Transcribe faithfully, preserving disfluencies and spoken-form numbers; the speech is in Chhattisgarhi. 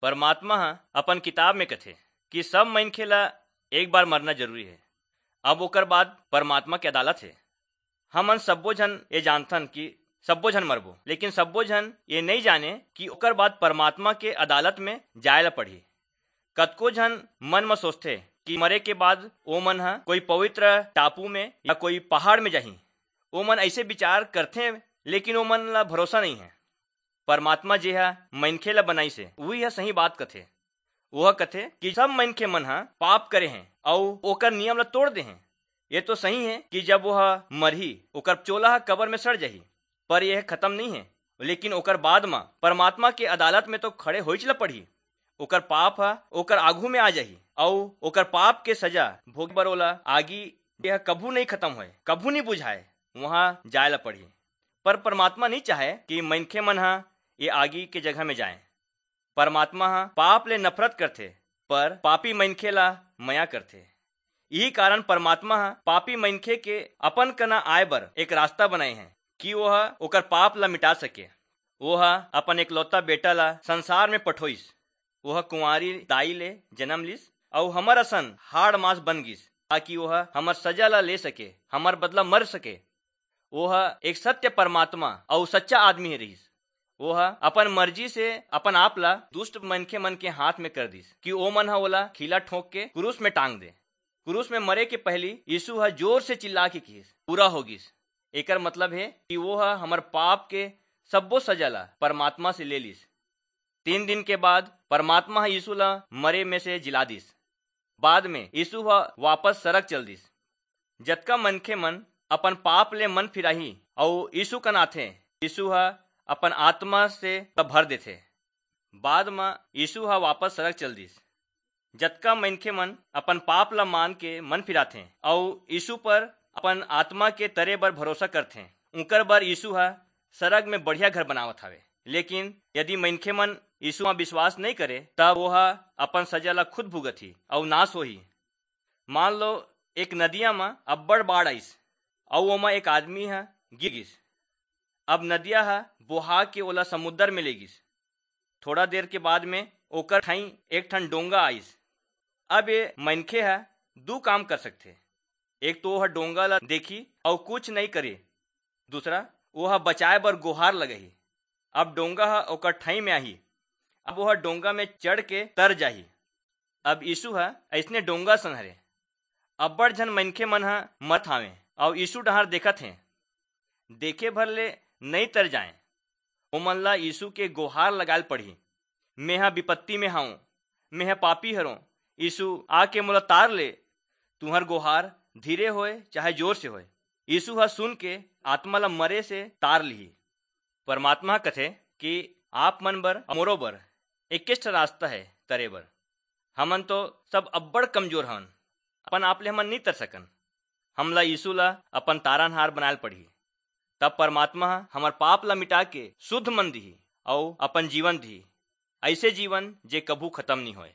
परमात्मा ह अपन किताब में कथे कि सब मनखे ला एक बार मरना जरूरी हे। अब ओकर बाद परमात्मा के अदालत हे। हमन सब्बो झन ये जानथन कि सब्बो झन मरबो, लेकिन सब्बो झन ये नइ जाने कि ओकर बाद परमात्मा के अदालत में जाय ला पड़ही। कतको झन मन म सोचथे कि मरे के बाद ओ मन ह कोई पवित्र टापू में या कोई पहाड़ में जाही। ओ मन ऐसे विचार करथे, लेकिन ओ मन ला भरोसा नहीं है। परमात्मा जे ह मनखे ला बनाइस हे, उही ह सही बात कथे। ओह कथे कि सब मनखे मन ह पाप करे हैं अउ ओकर नियम ला तोड़ दे हैं। ये तो सही है कि जब वह मरही, ओकर चोला ह कबर में सड़ जाही, पर यह खत्म नहीं है। लेकिन ओकर बाद म परमात्मा के अदालत में तो खड़े होइच ला पड़ही। ओकर पाप ह ओकर आगू में आ जाही अउ ओकर पाप के सजा भोगे बर ओला आगी, यह कभू नहीं खत्म होए, कभू नहीं बुझाए, वहां जाय ला पड़ही। पर परमात्मा नहीं चाहे कि मनखे मन ह ये आगी के जगह में जाए। परमात्मा ह पाप ले नफरत करथे, पर पापी मनखे ला मया करथे। यही कारण परमात्मा ह पापी मनखे के अपन कना आय बर एक रास्ता बनाए हैं कि वह ओकर पाप ला मिटा सके। वो ह अपन एकलौता बेटा ला संसार में पठोइस। वो ह कुंवारी दाई ले जन्म लिस अउ हमर असन हाड़ मांस बन गिस, ताकि वो ह हमर सजा ला ले सके, हमर बदला मर सके। वो ह एक सत्य परमात्मा अउ सच्चा आदमी हे रहिस। वो ह अपन मर्जी से अपन आप ला दुष्ट मनखे मन के हाथ में कर दिस कि ओ मन ह ओला खीला ठोंक के क्रूस में टांग दे। क्रूस में मरे के पहली यीशु ह जोर से चिल्ला के किहिस, "पूरा हो गिस।" एकर मतलब हे कि वो ह हमर पाप के सब्बो सजा ला परमात्मा से ले लिस। तीन दिन के बाद परमात्मा ह यीशु ला मरे में से जिला दिस। बाद में यीशु ह वापस सरग चल दिस। जतका मनखे मन अपन पाप ले मन फिराही अउ यीशु कन आथे, यीशु ह अपन आत्मा से भर देथे। बाद म यीशु ह वापस सरग चल दिस। जतका मनखे मन अपन पाप ला मान के मन फिराथे अउ यीशु पर अपन आत्मा के तरे बर भरोसा करथे, उंकर बर यीशु ह सरग में बढ़िया घर बनावत हवे। लेकिन यदि मनखे मन यीशु म विश्वास नहीं करे, तब वो ह अपन सजा ला खुद भुगतही अउ नाश होही। मान लो, एक नदिया म अब्बड़ बाढ़ आइस अउ ओमा एक आदमी ह गिर गिस। अब नदिया ह बोहा के ओला समुद्र में ले गिस। थोड़ा देर के बाद में ओकर ठाई एक ठन डोंगा आइस। अब ये मनखे ह दू काम कर सकथे। एक तो ओह डोंगा ला देखी अउ कुछ नहीं करे, दूसरा, ओह बचाए बर गुहार लगही। अब डोंगा ह ओकर ठाई में आही। अब ओह डोंगा में चढ़ के तर जाही। अब यीशु ह अइसने डोंगा सन हरे। अब्बड़ झन मनखे मन ह मरत हावें अउ यीशु डहार देखत हें। देखे भर ले नई तर जाएं। ओमन ला यीशु के गोहार लगायल पड़ही, "मेंह विपत्ति में हवं, मेंह पापी हरों, यीशु आके मोला तार ले।" तुंहर गोहार धीरे होय चाहे जोर से होय, यीशु ह सुन के आत्मा ला मरे से तार लिही। परमात्मा ह कथे कि आप मन बर अउ मोरो बर एकेच ठा रास्ता हे तरे बर। हमन तो सब अब्बड़ कमजोर हवन, अपन आप ले हमन नई तर सकन। हमला यीशु ला अपन तारनहार बनायल पड़ही। तब परमात्मा ह हमर पाप ला मिटा के शुद्ध मन दिही अउ अपन जीवन दिही, अइसे जीवन जे कभू खत्म नई होय।